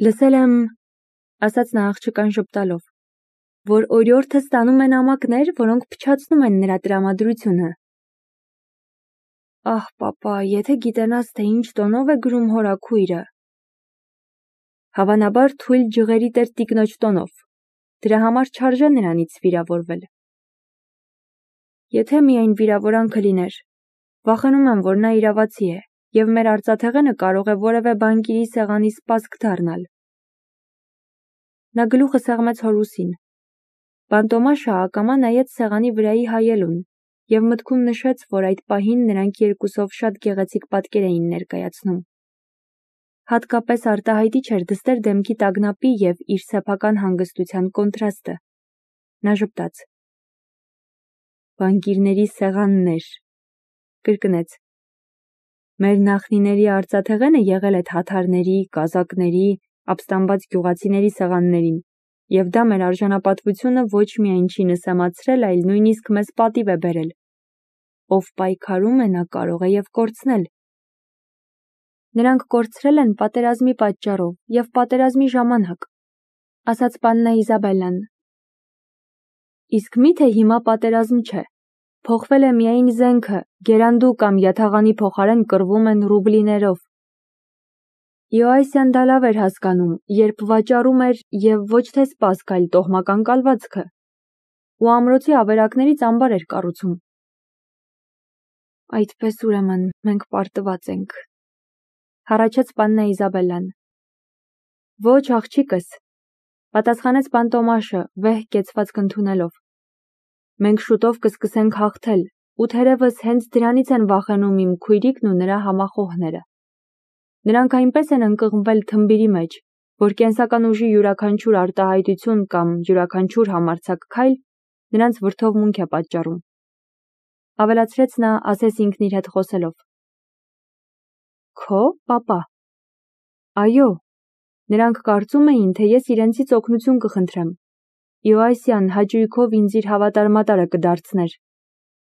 Լսել եմ, ասաց նա աղջկան ժպտալով, որ օրիորդը ստանում է նամակներ, որոնք փչացնում են նրա տրամադրությունը։ Ահ, պապա, եթե գիտենաս, թե ինչ տոնով է գրում հորաքույրը։ Հավանաբար թույլ ջղերի տեր տիկնոջ տոնով։ Դրա համար չարժե նրանից վիրավորվել։ Եթե միայն վիրավորանքը լիներ, վախենում եմ, որ նա իրավացի է, և մեր արծաթեղենը կարող է որևէ բանկիրի սեղանի սպասք դառնալ։ Նա գլուխը սեղմեց հոր ուսին։ Բանտոմաշը ակամա նայեց սեղանի վրայի հայելուն և մտքում նշեց, որ այդ պահին նրանք երկուսով շատ գեղեցիկ պատկեր էին ներկայացնում։ Հատկապես արտահայտիչ էր դստեր դեմքի տագնապի և իր սեփական հանգստության կոնտրաստը։ Նա ժպտաց. Բանկիրների սեղաններ, կրկնեց։ Մեր նախնիների արծաթեղենը եղել է թաթարների, կազակների, ապստամբած գյուղացիների սեղաններին, և դա մեր արժանապատվությունը ոչ միայն չի նսեմացրել, այլ նույնիսկ մեզ պատիվ է բերել։ Ով պայքարում է, նա կարող է և կորցնել։ Նրանք կորցրել են պատերազմի պատճառով և պատերազմի ժամանակ, ասաց պաննա Իզաբելլան։ Իսկ միթե հիմա պատերազմ չէ։ Փոխվել է միայն զենքը, գերանդու կամ յաթաղանի փոխարեն կռվում են ռուբլիներով։ Իոասյան դա լավ էր հասկանում, երբ վաճառում էր և ոչ թե սպասք, այլ տոհմական կալվածքը, ու ամրոցի ավերակներից ամբար էր կառուցում։ Այդպես ուրեմն մենք պարտված ենք, հառաչեց պաննա Իզաբելլան։ Ոչ, աղջիկս, պատասխանեց Բանտոմաշը, վեհ կեցվածք ընդունելով։ Մենք շուտով կսկսենք հաղթել, ու թերևս հենց դրանից են վախենում իմ քույրիկն ու նրա համախոհները։ Նրանք այնպես են ընկղմվել թմբիրի մեջ, որ կենսական ուժի յուրաքանչյուր արտահայտություն կամ յուրաքանչյուր համարձակ քայլ նրանց վրդովմունք է պատճառում։ Ավելացրեց նա, ասես ինքն իր հետ խոսելով։ Քո, պապա։ Այո, նրանք կարծում էին, թե ես իրենցից օգնություն կխնդրեմ։ Իոասյան հաճույքով ինձ իր հավատարմատարը կդարձներ,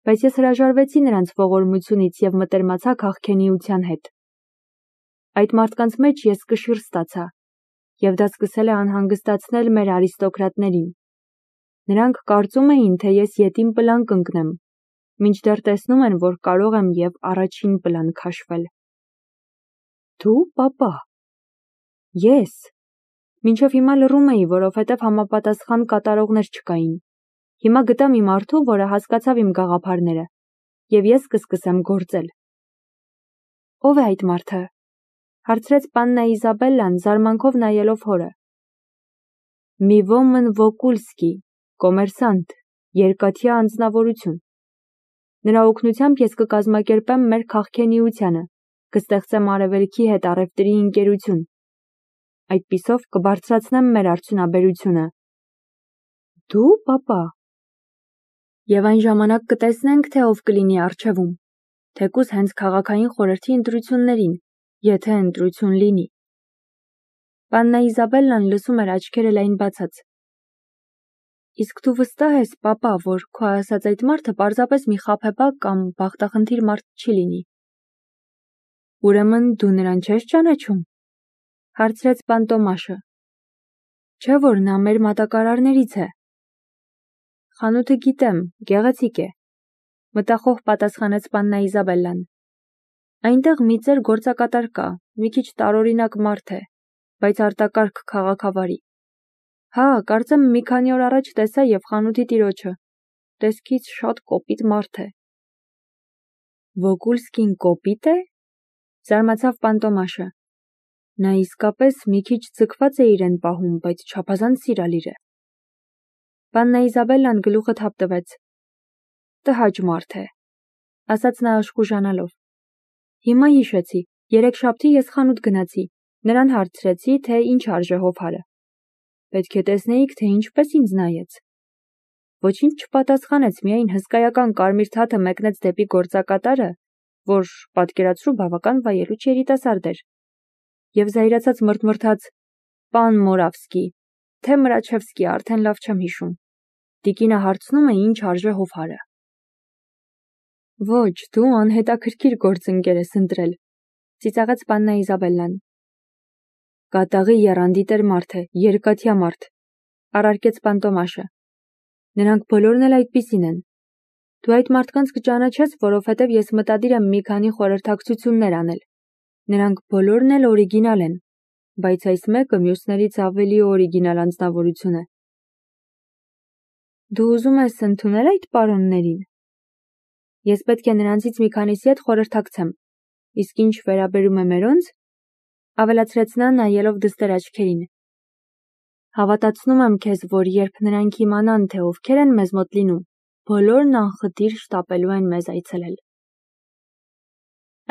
բայց ես հրաժարվեցի նրանց ողորմությունից և մտերմացա քաղքենիության հետ։ Այդ մարդկանց մեջ ես կշիռ ստացա, և դա սկսել է անհանգստացնել մեր արիստոկրատներին։ Նրանք կարծում էին, թե ես ետին պլան կընկնեմ, մինչդեռ տեսնում են, որ կարող եմ և առաջին պլան քաշվել։ Դու, պապա։ Ես։ Մինչև հիմա լռում էի, որովհետև համապատասխան կատարողներ չկային։ Հիմա գտա մի մարդու, որը հասկացավ իմ գաղափարները, և ես կսկսեմ գործել։ Ո՞վ է այդ մարդը, հարցրեց պաննա Իզաբելլան, զարմանքով նայելով հորը։ Մի ոմն Վոկուլսկի, կոմերսանտ, երկաթյա անձնավորություն։ Նրա օգնությամբ ես կկազմակերպեմ մեր քաղքենիությանը, կստեղծեմ արևելքի հետ առևտրի ընկերություն։ Այդպիսով կբարձրացնեմ մեր արդյունաբերությունը։ Դու, պապա։ Եվ այն ժամանակ կտեսնենք, թե ով կլինի առջևում, թեկուզ հենց քաղաքային խորհրդի ընտրություններին, եթե ընտրություն լինի։ Պաննա Իզաբելլան լսում էր աչքերը լայն բացած։ Իսկ դու վստահ ես, պապա, որ քո ասած այդ մարդը պարզապես մի խաբեբակ կամ բախտախնդիր մարդ չի լինի։ Ուրեմն դու նրան չես ճանաչում, հարցրեց Բանտոմաշը։ Չէ՞ որ նա մեր մատակարարներից է։ Խանութը գիտեմ, գեղեցիկ է, մտախոհ պատասխանեց պաննա Իզաբելլան։ Այնտեղ մի ծեր գործակատար կա, մի քիչ տարօրինակ մարդ է, բայց արտակարգ քաղաքավարի։ Հա, կարծեմ մի քանի օր առաջ տեսա և խանութի տիրոջը։ Տեսքից շատ կոպիտ մարդ է։ Վոկուլսկին կոպիտ է։ Զարմացավ Բանտոմաշը։ Նա իսկապես մի քիչ ձգված է իրեն պահում, բայց չափազանց սիրալիր է։ Պաննա Իզաբելլան գլուխը թափ տվեց։ Տհաճ մարդ է, ասաց նա աշխուժանալով։ Հիմա հիշեցի, երեքշաբթի ես խանութ գնացի, նրան հարցրեցի, թե ինչ արժե հովհարը։ Պետք է տեսնեիք, թե ինչպես ինձ նայեց։ Ոչինչ չպատասխանեց, միայն հսկայական կարմիր թաթը մեկնեց դեպի գործակատարը, որ, պատկերացրու, բավական վայելուչ երիտասարդ էր, և զայրացած մռթմռթաց. Պան Մորավսկի, թե Մրաչևսկի, արդեն լավ չեմ հիշում։ Տիկինը հարցնում է, ինչ արժե հովհարը։ Ոչ, դու անհետաքրքիր գործընկեր ես ընտրել, ծիծաղեց պաննա Իզաբելլան։ Կատաղի եռանդի տեր մարդ է, երկաթյա մարդ, առարկեց պան Տոմաշը։ Նրանք բոլորն էլ այդպիսին են։ Դու այդ մարդկանց կճանաչես, որովհետև ես մտադիր եմ մի քանի խորհրդակցություններ անել։ Նրանք բոլորն էլ օրիգինալ են, բայց այս մեկը մյուսներից ավելի օրիգինալ անձնավորություն է։ Դու ուզում ես ընդունել այդ պարոններին։ Ես պետք է նրանցից մի քանիսի հետ խորհրդակցեմ, իսկ ինչ վերաբերում է մերոնց, ավելացրեց նա նայելով դստեր աչքերին։ Հավատացնում եմ քեզ, որ երբ նրանք իմանան, թե ովքեր են մեզ մոտ լինում, բոլորն անխտիր շտապելու են մեզ այցելել։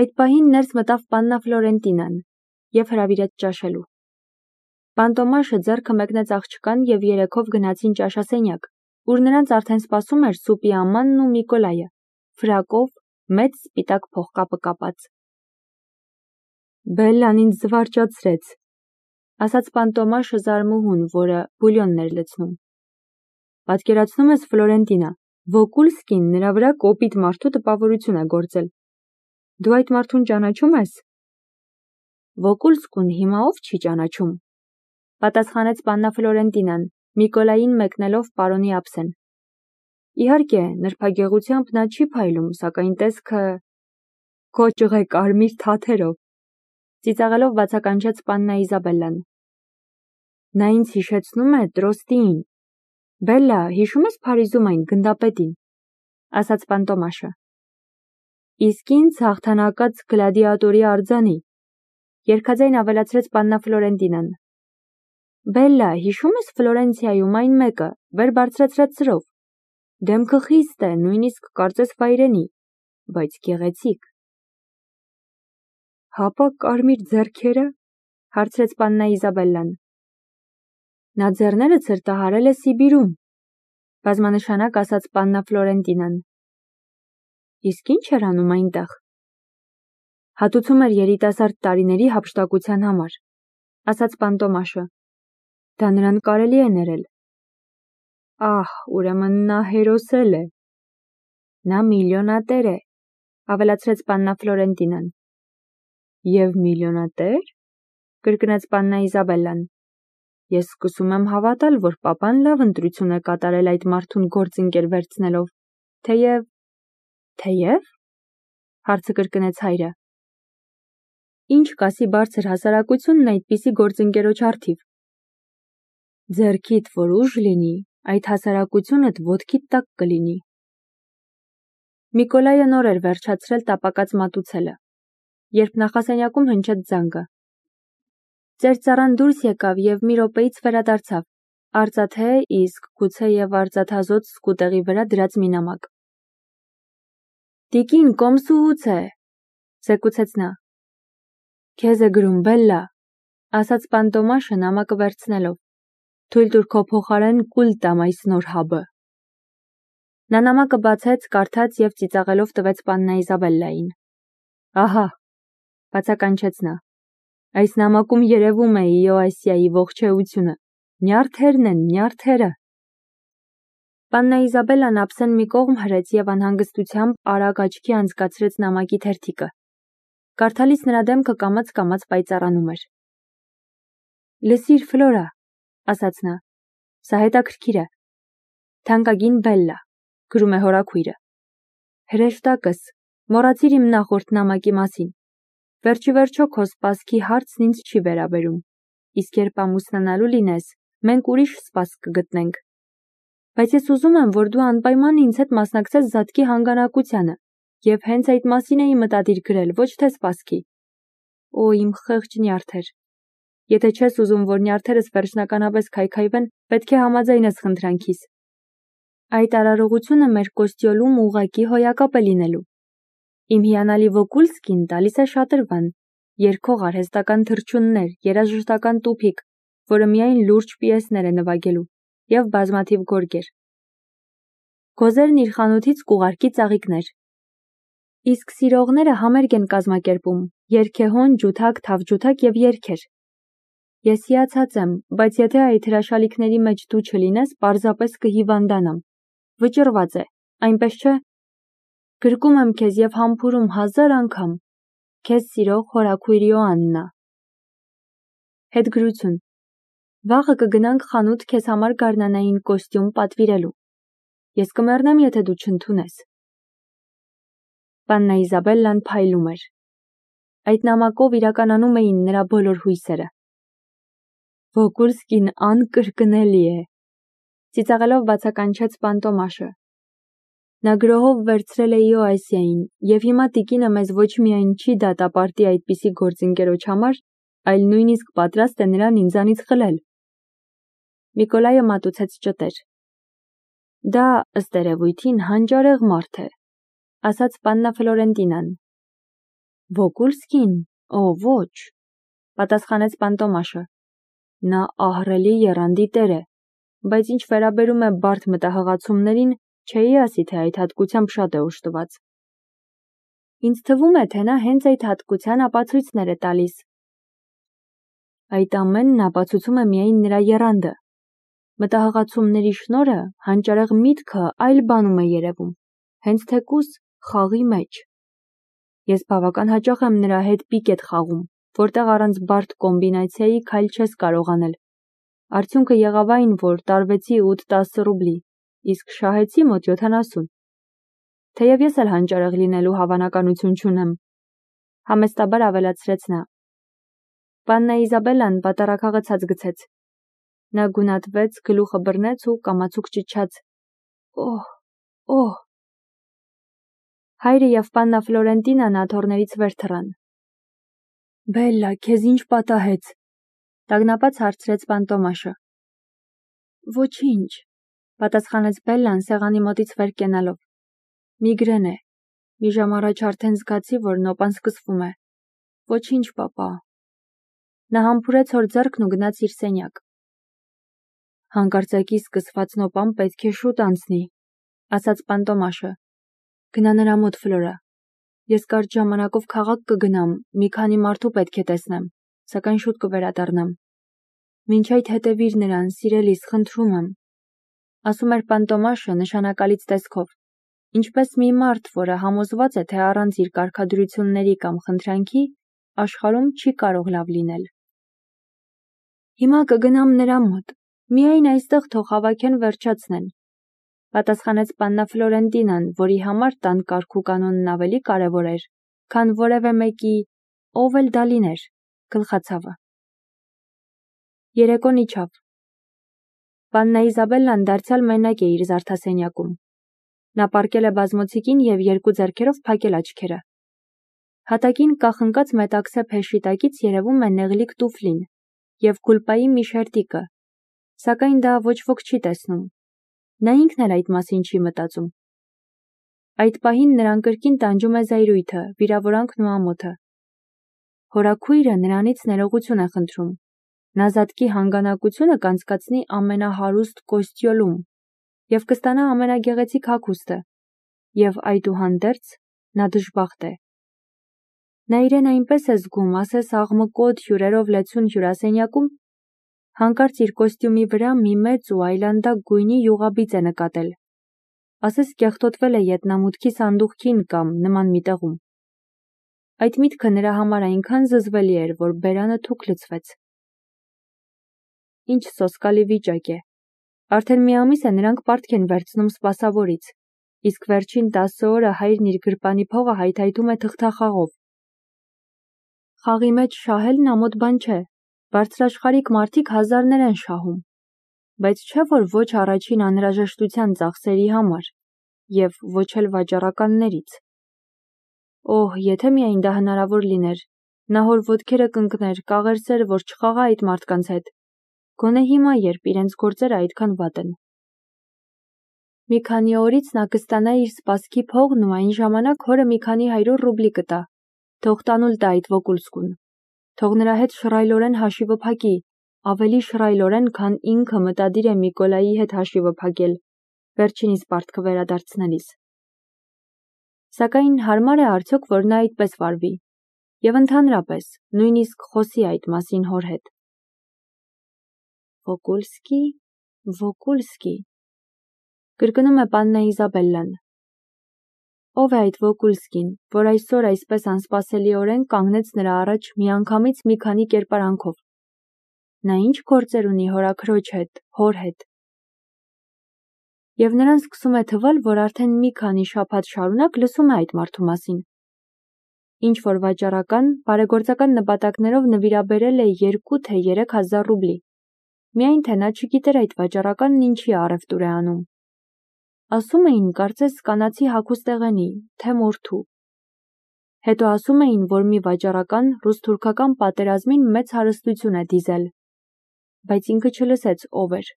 Այդ պահին ներս մտավ պաննա Ֆլորենտինան և հրավիրեց ճաշելու։ Պան Տոմաշը ձեռքը մեկնեց աղջկան և երեքով գնացին ճաշասենյակ, ուր նրանց արդեն սպասում էր Սուպի ամանն ու Միկոլայը, ֆրակով, մեծ սպիտակ փողկապը կապած։ Բելլան ինձ զվարճացրեց, ասաց պան Տոմաշը զարմուհուն, որը բուլյոնն էր լցնում։ Պատկերացնում ես, Ֆլորենտինա, Վոկուլսկին նրա վրա կոպիտ մարդու տպավորություն է գործել։ Դու այդ մարդուն ճանաչում ես։ Վոկուլսկուն հիմա ով չի ճանաչում, պատասխանեց պաննա Ֆլորենտինան, Միկոլային մեկնելով պարոնի ափսեն։ Իհարկե, նրբագեղությամբ նա չի փայլում, սակայն տեսքը քո ճղե կարմիր թաթերով, ծիծաղելով բացականչեց պաննա Իզաբելլան։ Նա ինձ հիշեցնում է Տրոստիին։ Բելլա, հիշում ես Փարիզում այն գնդապետին, ասաց պան Տոմաշը։ Իսկ ինձ հաղթանակած գլադիատորի արձանի, երգաձայն ավելացրեց պաննա Ֆլորենտինան։ Բելլա, հիշում ես Ֆլորենցիայում այն մեկը, վեր բարձրացրած սրով։ Դեմքը խիստ է, նույնիսկ կարծես վայրենի, բայց գեղեցիկ։ Հապա կարմիր ձեռքերը, հարցրեց պաննա Իզաբելլան։ Նա ձեռները ցրտահարել է Սիբիրում, բազմանշանակ ասաց պաննա Ֆլորենտինան։ Իսկ ինչ էր անում այնտեղ։ Հատուցում էր երիտասարդ տարիների հափշտակության համար, ասաց պան Տոմաշը։ Դա նրան կարելի է ներել։ Ահ, ուրեմն նա հերոսել է։ Նա միլիոնատեր է, ավելացրեց պաննա Ֆլորենտինան։ Եվ միլիոնատեր, կրկնեց պաննա Իզաբելլան։ Ես սկսում եմ հավատալ, որ պապան լավ ընտրություն է կատարել այդ մարդուն գործընկեր վերցնելով, թեև, հարցը կրկնեց հայրը։ Ինչ կասի բարձր հասարակությունն այդպիսի գործընկերոջ առթիվ։ Ձեռքիդ որ ուժ լինի, այդ հասարակությունդ ոտքիդ տակ կլինի։ Միկոլայը նոր էր վերջացրել տապակած մատուցելը, երբ նախասենյակում հնչեց զանգը։ Ծեր ծառան դուրս եկավ և մի րոպեից վերադարձավ, արծաթե, իսկ գուցե և արծաթազոծ սկուտեղի վրա դրած մի նամակ։ Տիկին, կոմսուհուց է, զեկուցեց նա։ Քեզ է գրում, Բելլա, ասաց պան Տոմաշը նամակը վերցնելով։ Թույլ տուր քո փոխարեն կուլ տամ այս նոր հաբը։ Նա նամակը բացեց, կարդաց և ծիծաղելով տվեց պաննա Իզաբելլային։ Ահա, բացականչեց նա։ Այս նամակում երևում է Իոասիայի ողջեությունը։ Նյարդերն են, նյարդերը։ Պաննա Իզաբելլան ափսեն մի կողմ հրեց և անհանգստությամբ արագ աչքի անցկացրեց նամակի թերթիկը։ Կարդալիս նրա դեմքը կամաց-կամաց պայծառանում էր։ Լսիր, Ֆլորա, ասաց նա, սա հետաքրքիր է։ Թանկագին Բելլա, գրում է հորաքույրը։ Հրեշտակս, մոռացիր իմ նախորդ նամակի մասին։ Վերջիվերջո քո սպասքի հարցն ինձ չի վերաբերում, իսկ երբ ամուսնանալու լինես, մենք ուրիշ սպասք կգտնենք։ Բայց ես ուզում եմ, որ դու անպայման ինձ հետ մասնակցես զատկի հանգանակությանը, և հենց այդ մասին էի մտադիր գրել, ոչ թե սպասքի։ Օ, իմ խեղճ նյարդեր։ Եթե չես ուզում, որ նյարդերս վերջնականապես քայքայվեն, պետք է համաձայնես խնդրանքիս։ Այդ արարողությունը մեր Կոստյոլում ուղղակի հոյակապ է լինելու։ Իմ հիանալի Վոկուլսկին տալիս է շատրվան, երգող արհեստական թռչուններ, երաժշտական տուփիկ, որը միայն լուրջ պիեսներ է նվագելու, և բազմաթիվ գորգեր։ Գոզերն իր խանութից կուղարկի ծաղիկներ։ Իսկ սիրողները համերգ են կազմակերպում, երգեհոն, ջութակ, թավջութակ և երգեր։ Ես հիացած եմ, բայց եթե այդ հրաշալիքների մեջ դու չլինես, պարզապես կհիվանդանամ։ Վճռված է, այնպես չէ։ Գրկում եմ քեզ և համբուրում 1000 անգամ։ Քեզ սիրող հորաքույր Իոաննա։ Հետգրություն։ Վաղը կգնանք խանութ քեզ համար գարնանային կոստյում պատվիրելու։ Ես կմեռնեմ, եթե դու չընդունես։ Պաննա Իզաբելլան փայլում էր։ Այդ նամակով իրականանում էին նրա բոլոր հույսերը։ Վոկուլսկին անկրկնելի է, ծիծաղելով բացականչեց պան Տոմաշը։ Նա գրոհով վերցրել է Իոասիային, և հիմա տիկինը մեզ ոչ միայն չի դատապարտի այդպիսի գործընկերոջ համար, այլ նույնիսկ պատրաստ է նրան ինձանից խլել։ Նիկոլայը մատուցեց ճտեր։ Դա, ըստ երևույթին, հանճարեղ մարդ է, ասաց պաննա Ֆլորենտինան։ Վոկուլսկին, օ, ոչ, պատասխանեց պան Տոմաշը։ Նա ահռելի եռանդի տեր է, բայց ինչ վերաբերում է բարդ մտահղացումներին, չէի ասի, թե այդ հատկությամբ շատ է օժտված։ Ինձ թվում է, թե նա հենց այդ հատկության ապացույցներ է տալիս։ Այդ ամենն ապացուցում է միայն նրա եռանդը։ Մտահղացումների շնորհը հանճարեղ միտքը այլ բանում է երևում, հենց թեկուզ խաղի մեջ։ Ես բավական հաճախ եմ նրա հետ պիկետ խաղում, որտեղ առանց բարդ կոմբինացիայի քայլ չես կարող անել։ Արդյունքը եղավ այն, որ տարվեցի 8-10 ռուբլի, իսկ շահեցի մոտ 70։ Թեև ես էլ հանճարեղ լինելու հավանականություն չունեմ, համեստաբար ավելացրեց նա։ Պաննա Իզաբելլան պատառաքաղացած գցեց։ Նա գունատվեց, գլուխը բռնեց ու կամացուկ ճչաց. Օհ, օհ։ Հայրը և պաննա Ֆլորենտինան աթոռներից վեր թռան։ Բելլա, քեզ ինչ պատահեց, տագնապած հարցրեց պան Տոմաշը։ Ոչինչ, պատասխանեց Բելլան սեղանի մոտից վեր կենալով։ Միգրեն է։ Մի ժամ առաջ արդեն զգացի, որ նոպան սկսվում է։ Ոչինչ, պապա։ Նա համբուրեց հոր ձեռքն ու գնաց իր սենյակ։ Հանկարծակի սկսված նոպան պետք է շուտ անցնի, ասաց պան Տոմաշը։ Գնա նրա մոտ, Ֆլորա։ Ես կարճ ժամանակով քաղաք կգնամ, մի քանի մարդու պետք է տեսնեմ, սակայն շուտ կվերադառնամ։ Մինչ այդ հետևիր նրան, սիրելիս, խնդրում եմ, ասում էր պան Տոմաշը նշանակալից տեսքով, ինչպես մի մարդ, որը համոզված է, թե առանց իր կարգադրությունների կամ խնդրանքի աշխարհում չի կարող լավ լինել։ Հիմա կգնամ նրա մոտ, միայն այստեղ թող հավաքեն վերջացնեն, պատասխանեց պաննա Ֆլորենտինան, որի համար տան կարգ ու կանոնն ավելի կարևոր էր, քան որևէ մեկի, ով էլ դա լիներ, գլխացավը։ Երեկոն իջավ։ Պաննա Իզաբելլան դարձյալ մենակ է իր զարդասենյակում։ Նա պառկել է բազմոցիկին և երկու ձեռքերով փակել աչքերը։ Հատակին կախնկած մետաքսե փեշի տակից երևում է նեղլիկ տուֆլին և գուլպայի մի շերտիկը, սակայն դա ոչ ոք չի տեսնում։ Նա ինքն էլ այդ մասին չի մտածում։ Այդ պահին նրան կրկին տանջում է զայրույթը, վիրավորանքն ու ամոթը։ Հորաքույրը նրանից ներողություն է խնդրում։ Նա զատկի հանգանակությունը կանցկացնի ամենահարուստ Կոստյոլում և կստանա ամենագեղեցիկ հագուստը, և այդուհանդերձ նա դժբախտ է։ Նա իրեն այնպես է զգում, ասես աղմկոտ հյուրերով լեցուն հյուրասենյակում, հանկարծ իր կոստյումի վրա մի մեծ ու այլանդակ գույնի յուղաբիծ է նկատել, ասես կեղտոտվել է ետնամուտքի սանդուղքին կամ նման մի տեղում։ Այդ միտքը նրա համար այնքան զզվելի էր, որ բերանը թուք լցվեց։ Ինչ սոսկալի վիճակ է։ Արդեն մի ամիս է նրանք պարտք են վերցնում սպասավորից, իսկ վերջին 10 օրը հայրն իր գրպանի փողը հայթայթում է թղթախաղով։ Խաղի մեջ շահելն ամոթ բան չէ, բարձրաշխարհիկ մարդիկ հազարներ են շահում, բայց չէ որ ոչ առաջին անհրաժեշտության ծախսերի համար և ոչ էլ վաճառականներից։ Օհ, եթե միայն դա հնարավոր լիներ, նա հոր ոտքերը կընկներ, կաղերսեր, որ չխաղա այդ մարդկանց հետ, գոնե հիմա, երբ իրենց գործերը այդքան վատ են։ Մի քանի օրից նա կստանա իր սպասքի փողն ու այն ժամանակ հորը մի քանի 100 ռուբլի կտա, թող տանուլ տա այդ Վոկուլսկուն, թող նրա հետ շռայլորեն հաշիվը փակի, ավելի շռայլորեն, քան ինքը մտադիր է Նիկոլայի հետ հաշիվը փակել, վերջինիս պարտքը վերադարձնելիս։ Սակայն հարմար է արդյոք, որ նա այդպես վարվի, և ընդհանրապես, նույնիսկ խոսի այդ մասին հոր հետ։ Վոկուլսկի, Վոկուլսկի, կրկնում է պաննա Իզաբելլան։ Ով է այդ Վոկուլսկին, որ այսօր այսպես անսպասելիորեն կանգնեց նրա առաջ միանգամից մի քանի կերպարանքով։ նա ինչ գործեր ունի հորաքրոջ հետ, հոր հետ։ Եվ նրան սկսում է թվալ, որ արդեն մի քանի շաբաթ շարունակ լսում է այդ մարդու մասին։ Ինչ-որ վաճառական, բարեգործական նպատակներով նվիրաբերել է 2 թե 3 հազար ռուբլի, միայն թե նա չգիտեր այդ վաճառականն ինչի առևտուր է անում։ Ասում էին, կարծես կանացի հագուստեղենի, թե մորթու։ Հետո ասում էին, որ մի վաճառական ռուս-թուրքական պատերազմին մեծ հարստություն է դիզել, բայց ինքը չլսեց ով էր։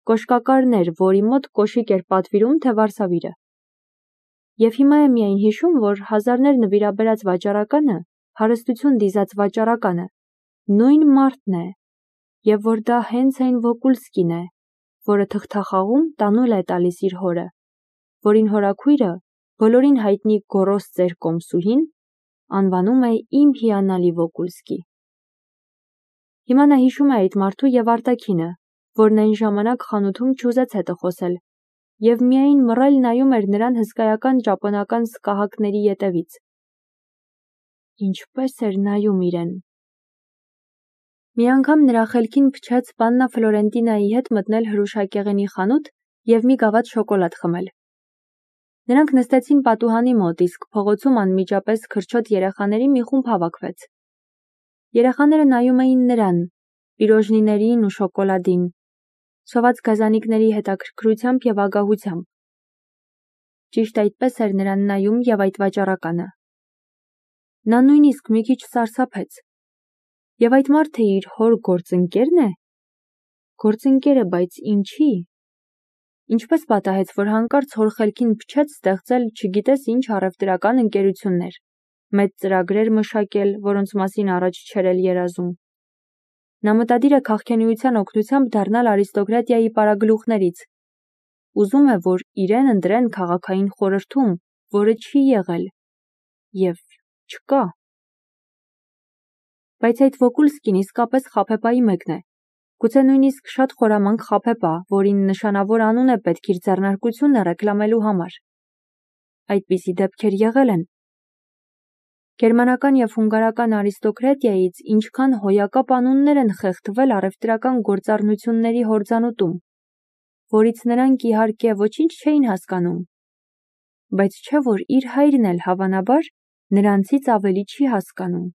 Կոշկակարն էր, որի մոտ կոշիկ էր պատվիրում, թե վարսավիրը։ Եվ հիմա է միայն հիշում, որ հազարներ նվիրաբերած վաճառականը, հարստություն դիզած վաճառականը, նույն մարդն է, եւ որ դա հենց այն Վոկուլսկին է, որը թղթախաղում տանուլ է տալիս իր հորը, որին հորաքույրը, բոլորին հայտնի գոռոզ ծեր կոմսուհին, անվանում է իմ հիանալի Վոկուլսկի։ Հիմա նա հիշում է այդ մարդու եւ արտաքինը, որն այն ժամանակ խանութում չուզեց հետը խոսել, եւ միայն մռայլ նայում էր նրան հսկայական ճապոնական սկահակների ետևից։ Ինչպես էր նայում իրեն։ Մի անգամ նրա խելքին փչեց Պաննա Ֆլորենտինայի հետ մտնել հրուշակեղենի խանութ եւ մի գավաթ շոկոլադ խմել։ Նրանք նստեցին պատուհանի մոտ, իսկ փողոցում անմիջապես քրչոտ երեխաների մի խումբ հավաքվեց։ Երեխաները նայում էին նրան, պիրոժնիներին ու շոկոլադին, սոված գազանիկների հետաքրքրությամբ եւ ագահությամբ։ Ճիշտ այդպես էր նրան նայում եւ այդ վաճառականը։ Նա նույնիսկ մի քիչ սարսափեց։ Եվ այդ մարդը իր հոր գործընկերն է։ Գործընկերը, բայց ինչի։ Ինչպես պատահեց, որ հանկարծ հոր խելքին փչեց ստեղծել չգիտես ինչ առևտրական ընկերություններ, մեծ ծրագրեր մշակել, որոնց մասին առաջ չէր էլ երազում։ Նա մտադիր է քաղաքենիության օգնությամբ դառնալ արիստոկրատիայի պարագլուխներից։ Ուզում է, որ իրեն ընտրեն քաղաքային խորհրդում, որը չի եղել եւ չկա։ Բայց այդ Վոկուլսկին իսկապես խաբեբայի մեկն է։ Գուցե նույնիսկ շատ խորամանկ խաբեբա, որին նշանավոր անուն է պետք իր ձեռնարկությունը ռեկլամելու համար։ Այդպիսի դեպքեր եղել են։ Գերմանական եւ հունգարական արիստոկրատիայից ինչքան հոյակապ անուններ են խեղդվել առևտրական գործառնությունների հորձանուտում, որից նրանք իհարկե ոչինչ չէին հասկանում, բայց չէ որ իր հայրն էլ հավանաբար նրանցից ավելի չի հասկանում։